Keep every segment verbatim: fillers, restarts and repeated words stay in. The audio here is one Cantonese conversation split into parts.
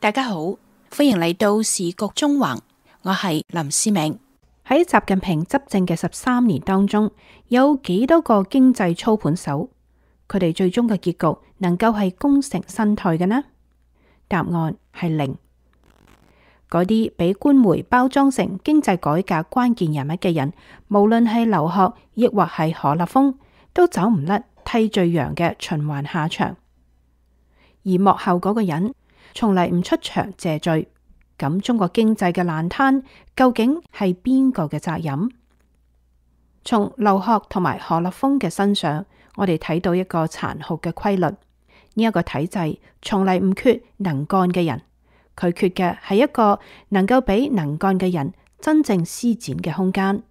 大家好，歡迎嚟到時局中橫，我係林思明。喺習近平執政嘅十三年當中，有幾多個經濟操盤手，佢哋最終嘅結局能夠係功成身退嘅呢？答案係零。嗰啲俾官媒包裝成經濟改革關鍵人物嘅人，無論係劉鶴亦或係何立峰，都走唔甩替罪羊嘅循環下場。而幕後嗰個人從嚟唔出場謝罪，咁中國經濟嘅爛攤究竟係邊個嘅責任？從劉鶴同埋何立峰嘅身上，我哋睇到一個殘酷嘅規律：呢一個體制從嚟唔缺能幹嘅人。佢缺嘅係一個能夠俾能幹嘅人真正施展嘅空間，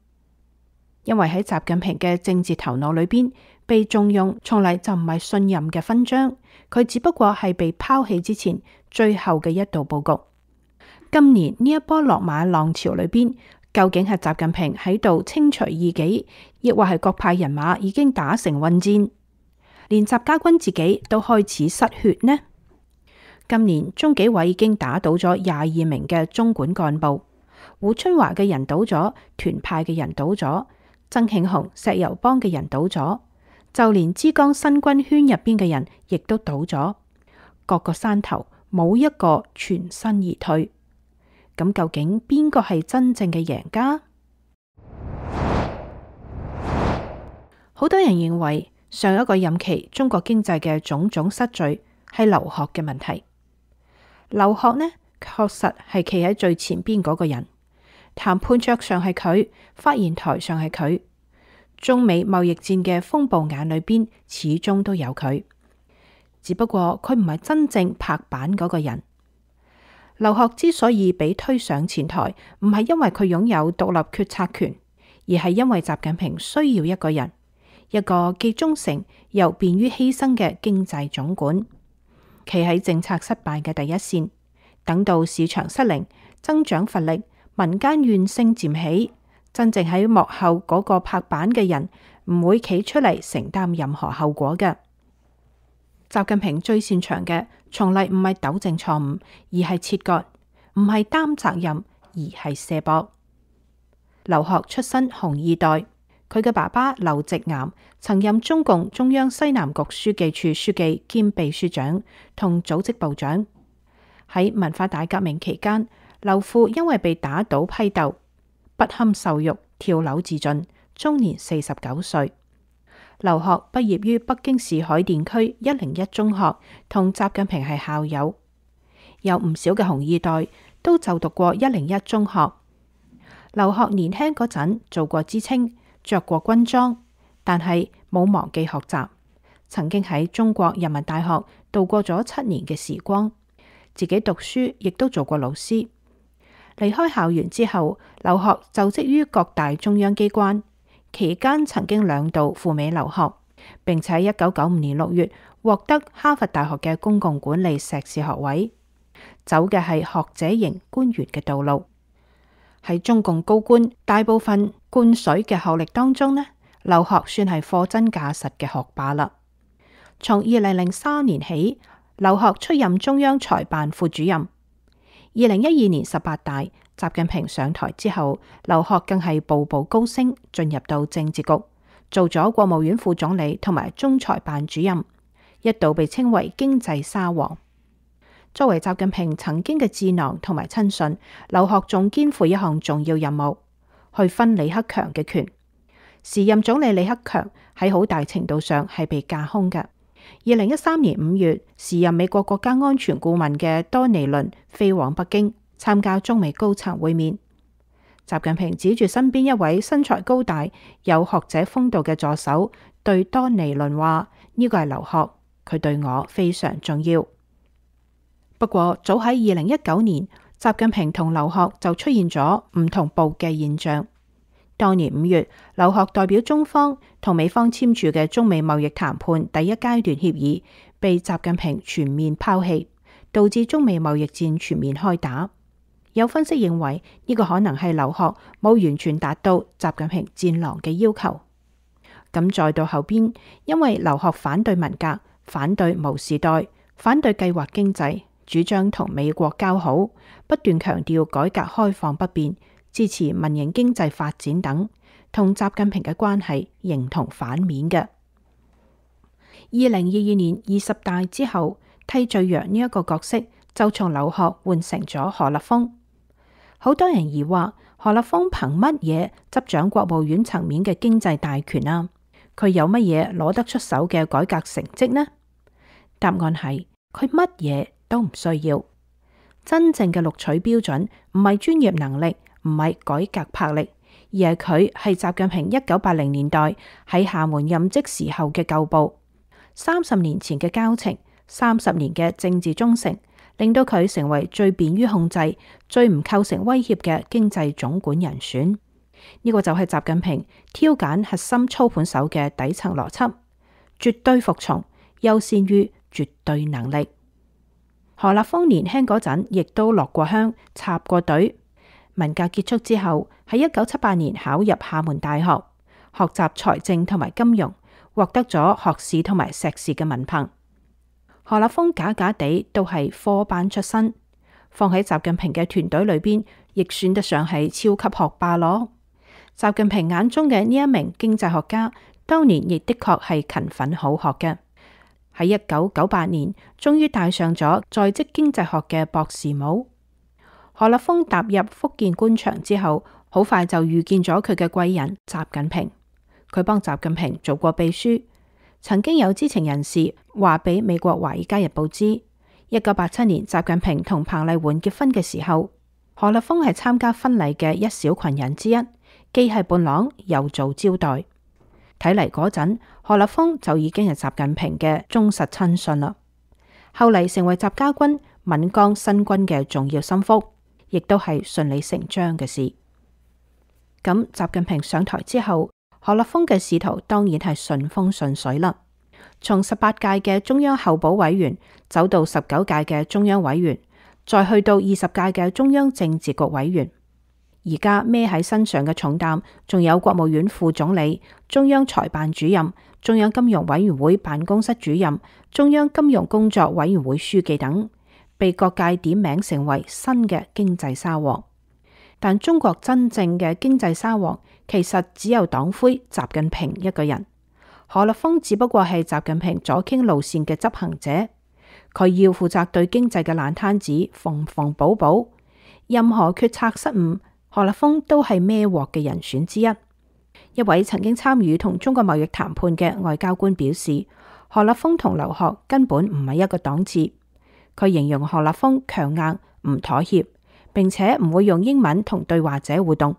因為喺習近平嘅政治頭腦裏邊，被重用從嚟就唔係信任嘅勳章，佢只不過係被拋棄之前最後嘅一道布局。今年呢一波落馬浪潮裏邊，究竟係習近平喺度清除異己，亦或係各派人馬已經打成混戰，連習家軍自己都開始失血呢？今年中紀委已經打倒咗廿二名嘅中管幹部，胡春華嘅人倒咗，團派嘅人倒咗，曾慶紅、石油幫嘅人倒咗，就連之江新軍圈入邊嘅人亦都倒咗，各個山頭冇一個全身而退。咁究竟邊個係真正嘅贏家？好多人認為上一個任期中國經濟嘅種種失序係劉鶴嘅問題。劉鶴呢，確實係企喺最前邊嗰個人，談判桌上係佢，發言台上係佢，中美貿易戰嘅風暴眼裏邊始終都有佢，只不過佢唔係真正拍板嗰個人。劉鶴之所以被推上前台，唔係因為佢擁有獨立決策權，而係因為習近平需要一個人，一個既忠誠又便於犧牲嘅經濟總管。企喺政策失敗嘅第一線，等到市場失靈、增長乏力、民間怨聲漸起，真正喺幕後嗰個拍板嘅人唔會企出嚟承擔任何後果嘅。習近平最擅長嘅，從嚟唔係糾正錯誤，而係切割；唔係擔責任，而係卸膊。劉鶴出身紅二代。佢嘅爸爸劉直岩曾任中共中央西南局書記處書記兼秘書長同組織部長。喺文化大革命期間，劉父因為被打倒批鬥，不堪受辱，跳樓自盡，終年四十九歲。劉鶴畢業於北京市海淀區一零一中學，同習近平係校友。有唔少嘅紅二代都就讀過一零一中學。劉鶴年輕嗰陣做過知青，着過軍裝，但係冇忘記學習，曾經喺中國人民大學度過咗七年嘅時光，自己讀書亦都做過老師。離開校園之後，劉鶴就職於各大中央機關，期間曾經兩度赴美留學，並且喺一九九五年六月獲得哈佛大學嘅公共管理碩士學位，走嘅係學者型官員嘅道路。喺中共高官大部分灌水嘅學歷當中呢，劉鶴算係貨真價實嘅學霸啦。從二零零三年起，劉鶴出任中央財辦副主任。二零一二年十八大，習近平上台之後，劉鶴更係步步高升，進入到政治局，做咗國務院副總理同埋中財辦主任，一度被稱為經濟沙皇。作為習近平曾經嘅智囊同埋親信，劉鶴仲肩負一項重要任務，去分李克強嘅權。時任總理李克強喺好大程度上係被架空嘅。二零一三年五月，時任美國國家安全顧問嘅多尼倫飛往北京參加中美高層會面。習近平指住身邊一位身材高大、有學者風度嘅助手，對多尼倫話：呢個係劉鶴，佢對我非常重要。不過早喺二零一九年，習近平同劉鶴就出現咗唔同步嘅現象。當年五月，劉鶴代表中方同美方簽署嘅中美貿易談判第一階段協議，被習近平全面拋棄，導致中美貿易戰全面開打。有分析認為，呢個可能係劉鶴冇完全達到習近平戰狼嘅要求。咁再到後邊，因為劉鶴反對文革、反對毛時代、反對計劃經濟。主張同美國交好，不斷強調改革開放不變，支持民營經濟發展等，同習近平嘅關係形同反面嘅。二零二二年二十大之後，替罪羊呢一個角色就從劉鶴換成咗何立峰。好多人疑惑何立峰憑乜嘢執掌國務院層面嘅經濟大權啊？佢有乜嘢攞得出手嘅改革成績呢？答案係佢乜嘢都唔需要。真正嘅錄取標準唔係專業能力，唔係改革魄力，而係佢係習近平一九八零年代喺廈門任職時候嘅舊部，三十年前嘅交情，三十年嘅政治忠誠，令到佢成為最便於控制、最唔構成威脅嘅經濟總管人選。呢個就係習近平挑揀核心操盤手嘅底層邏輯，絕對服從，優先於絕對能力。何立峰年輕嗰陣亦都落過鄉、插過隊。文革結束之後，喺一九七八年考入廈門大學，學習財政同埋金融，獲得咗學士同埋碩士嘅文憑。何立峰假假地都係科班出身，放喺習近平嘅團隊裏邊，亦算得上係超級學霸咯。習近平眼中嘅呢一名經濟學家，當年亦的確係勤奮好學嘅。喺一九九八年，終於戴上咗在職經濟學嘅博士帽。何立峰踏入福建官場之後，好快就遇見咗佢嘅貴人習近平。佢幫習近平做過秘書。曾經有知情人士話俾美國《華爾街日報》知，一九八七年習近平同彭麗媛結婚嘅時候，何立峰係參加婚禮嘅一小群人之一，既係伴郎又做招待。睇嚟嗰陣，何立峰就已經係習近平嘅忠實親信啦。後嚟成為習家軍閩江新軍嘅重要心腹，亦都係順理成章嘅事。咁習近平上台之後，何立峰嘅仕途當然係順風順水啦。從十八屆嘅中央候補委員走到十九屆嘅中央委員，再去到二十屆嘅中央政治局委員。而家孭喺身上嘅重擔，仲有國務院副總理、中央財辦主任、中央金融委員會辦公室主任、中央金融工作委員會書記等，被各界點名成為新嘅經濟沙皇。但中國真正嘅經濟沙皇，其實只有黨魁習近平一個人。何立峰只不過係習近平左傾路線嘅執行者，佢要負責對經濟嘅爛攤子縫縫補補，任何決策失誤，何立峰都係孭鑊嘅人選之一。一位曾經參與同中國貿易談判嘅外交官表示，何立峰同劉鶴根本唔係一個檔次。佢形容何立峰強硬唔妥協，並且唔會用英文同對話者互動。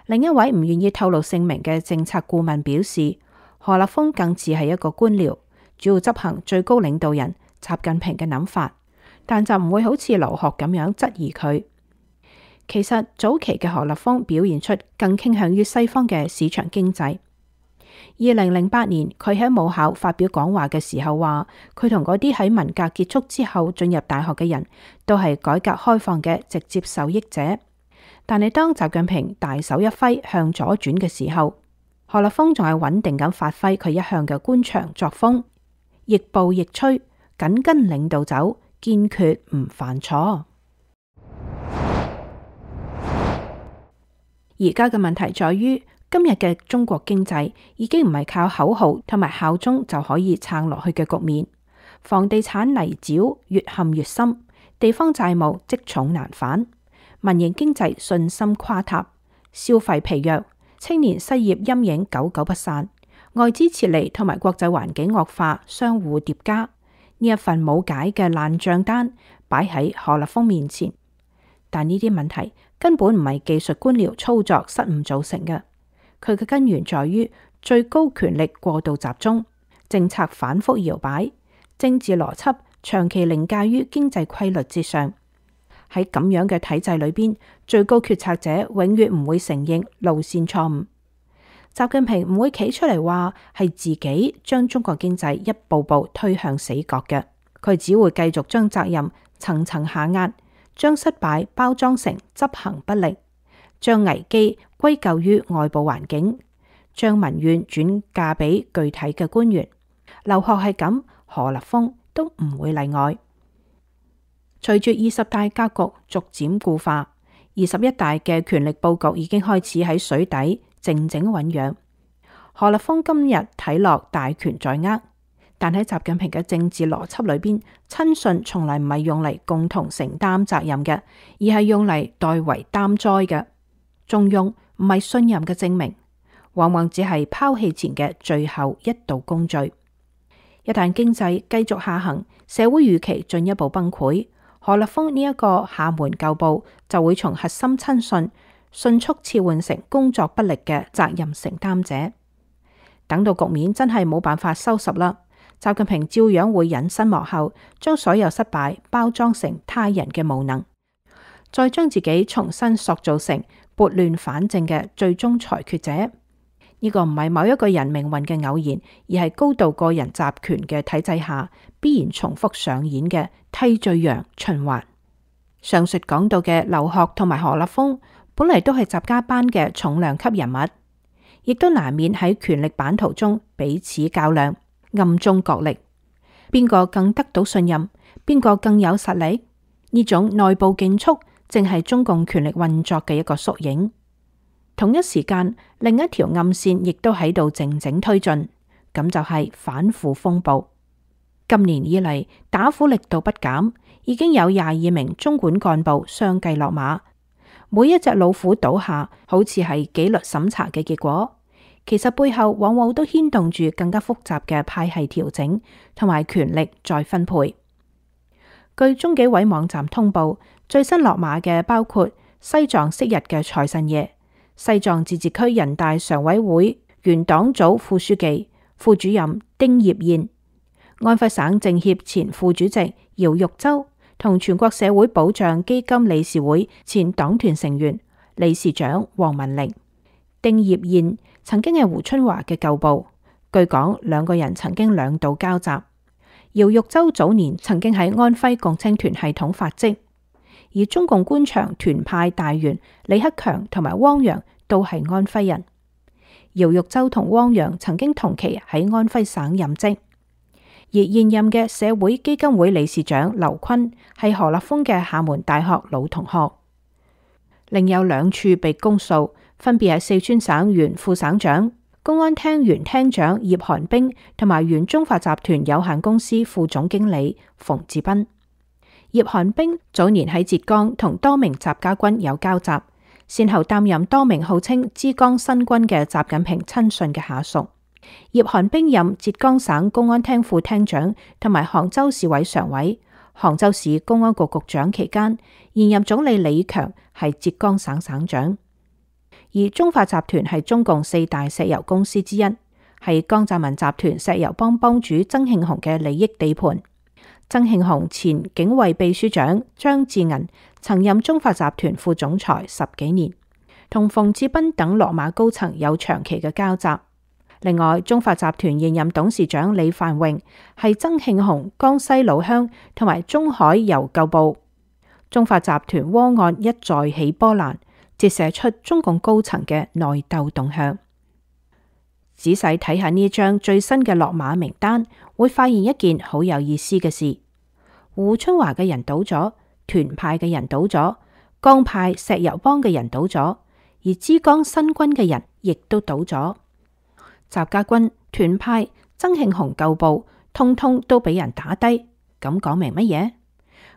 另一位唔願意透露姓名嘅政策顧問表示，何立峰更似係一個官僚，主要執行最高領導人習近平嘅諗法，但就唔會好似劉鶴咁樣質疑佢。其實早期嘅何立峰表現出更傾向於西方嘅市場經濟。二零零八年佢喺母校發表講話嘅時候話，佢同嗰啲喺文革結束之後進入大學嘅人都係改革開放嘅直接受益者。但係當習近平大手一揮向左轉嘅時候，何立峰仲係穩定咁發揮佢一向嘅官場作風，亦步亦趨，緊跟領導走，堅決唔犯錯。而家嘅問題在於，今日嘅中國經濟已經唔係靠口號同埋效忠就可以撐落去嘅局面，房地產泥沼越陷越深，地方債務積重難返，民營經濟信心垮塌，消費疲弱，青年失業陰影久久不散，外資撤離同埋國際環境惡化相互疊加，呢一份冇解嘅爛賬單擺喺何立峰面前。但呢啲問題根本唔係技術官僚操作失誤造成嘅，佢嘅根源在於最高權力過度集中，政策反覆搖擺，政治邏輯長期凌駕於經濟規律之上。喺咁樣嘅體制裏邊，最高決策者永遠唔會承認路線錯誤。習近平唔會企出嚟話係自己將中國經濟一步步推向死角嘅，佢只會繼續將責任層層下壓，將失敗包裝成執行不力，將危機歸咎於外部環境，將民怨轉嫁俾具體嘅官員。劉鶴係咁，何立峰都唔會例外。隨住二十大格局逐漸固化，二十一大嘅權力佈局已經開始喺水底靜靜醞釀。何立峰今日睇落大權在握，但喺習近平嘅政治邏輯裏邊，親信從來唔係用嚟共同承擔責任嘅，而係用嚟代為擔災嘅。重用唔係信任嘅證明，往往只係拋棄前嘅最後一道工序。一旦經濟繼續下行，社會預期進一步崩潰，何立峰呢一個廈門舊部就會從核心親信迅速切換成工作不力嘅責任承擔者。等到局面真係冇辦法收拾啦，習近平照樣會隱身幕後，將所有失敗包裝成他人嘅無能，再將自己重新塑造成撥亂反正嘅最終裁決者。呢個唔係某一個人命運嘅偶然，而係高度個人集權嘅體制下必然重複上演嘅替罪羊循環。上述講到嘅劉鶴同埋何立峰，本嚟都係習家班嘅重量級人物，亦都難免喺權力版圖中彼此較量，暗中角力，邊個更得到信任，邊個更有實力？呢種內部競速，正係中共權力運作嘅一個縮影。同一時間，另一條暗線亦都喺度靜靜推進，咁就係反腐風暴。今年以嚟，打虎力度不減，已經有廿二名中管幹部相繼落馬。每一隻老虎倒下，好似係紀律審查嘅結果，其實背後往往都牽動住更加複雜嘅派系調整同埋權力再分配。據中紀委網站通報，最新落馬嘅包括西藏昔日嘅財神爺、西藏自治區人大常委會原黨組副書記、副主任丁業燕、安徽省政協前副主席姚玉洲同全國社會保障基金理事會前黨團成員、理事長黃文玲。丁業燕曾經係胡春華嘅舊部，據講兩個人曾經兩度交集。姚玉洲早年曾經喺安徽共青團系統發跡，而中共官場團派大員李克強同埋汪洋都係安徽人。姚玉洲同汪洋曾經同期喺安徽省任職。而現任嘅社會基金會理事長劉昆係何立峰嘅廈門大學老同學。另有兩處被公訴，分別係四川省原副省長、公安廳原廳長葉寒冰同埋原中發集團有限公司副總經理馮志斌。葉寒冰早年喺浙江同多名習家軍有交集，先後擔任多名號稱浙江新軍嘅習近平親信嘅下屬。葉寒冰任浙江省公安廳副廳長同埋杭州市委常委、杭州市公安局局長期間，現任總理李強係浙江省省長。而中發集團係中共四大石油公司之一，係江澤民集團石油幫幫主曾慶紅嘅利益地盤。曾慶紅前警衛秘書長張志銀曾任中發集團副總裁十幾年，同馮志斌等落馬高層有長期嘅交集。另外，中發集團現任董事長李繁榮係曾慶紅江西老鄉同埋中海油舊部。中發集團窩案一再起波瀾，折射出中共高層嘅內鬥動向。仔細睇下呢張最新嘅落馬名單，會發現一件好有意思嘅事：胡春華嘅人倒咗，團派嘅人倒咗，江派石油幫嘅人倒咗，而浙江新軍嘅人亦都倒咗。習家軍、團派、曾慶紅舊部，通通都俾人打低，咁講明乜嘢？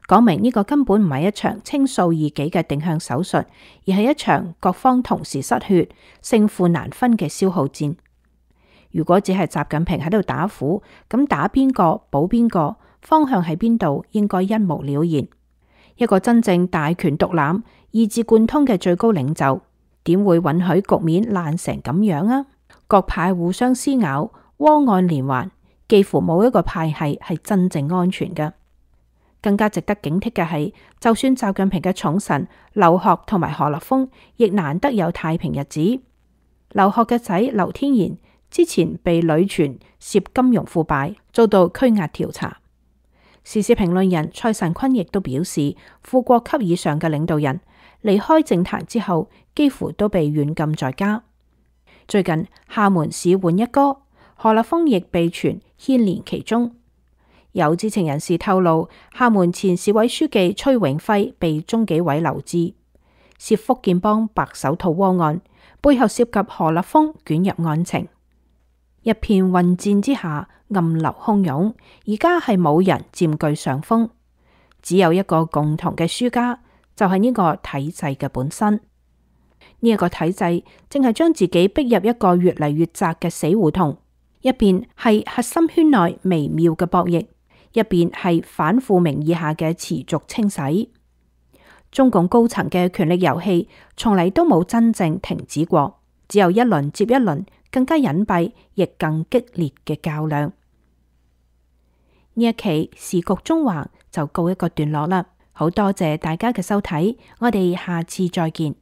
講明呢個根本唔係一場清掃異己嘅定向手術，而係一場各方同時失血、勝負難分嘅消耗戰。如果只係習近平喺度打虎，咁打邊個補邊個，方向喺邊度，應該一目了然。一個真正大權獨攬、意志貫通嘅最高領袖，點會允許局面爛成咁樣啊？各派互相撕咬，窩案連環，幾乎冇一個派系係真正安全嘅。更加值得警惕嘅係，就算習近平嘅寵臣劉鶴同埋何立峰，亦難得有太平日子。劉鶴嘅仔劉天然之前被屢傳涉金融腐敗，遭到拘押調查。時事評論人蔡慎坤亦都表示，副國級以上嘅領導人離開政壇之後，幾乎都被軟禁在家。最近廈門市換一哥，何立峰亦被傳牽連其中。有知情人士透露，廈門前市委書記崔永輝被中紀委留置，涉福建幫白手套鍋案，背後涉及何立峰捲入案情。一片混戰之下，暗流洶湧，而家係冇人佔據上風，只有一個共同嘅輸家，就係呢個體制嘅本身。呢一個體制正係將自己逼入一個越嚟越窄嘅死胡同，一邊係核心圈內微妙嘅博弈，一邊係反腐名義下嘅持續清洗。中共高層嘅權力遊戲從嚟都冇真正停止過，只有一輪接一輪更加隱蔽亦更激烈嘅較量。呢一期時局中橫就告一個段落啦，好多謝大家嘅收睇，我哋下次再見。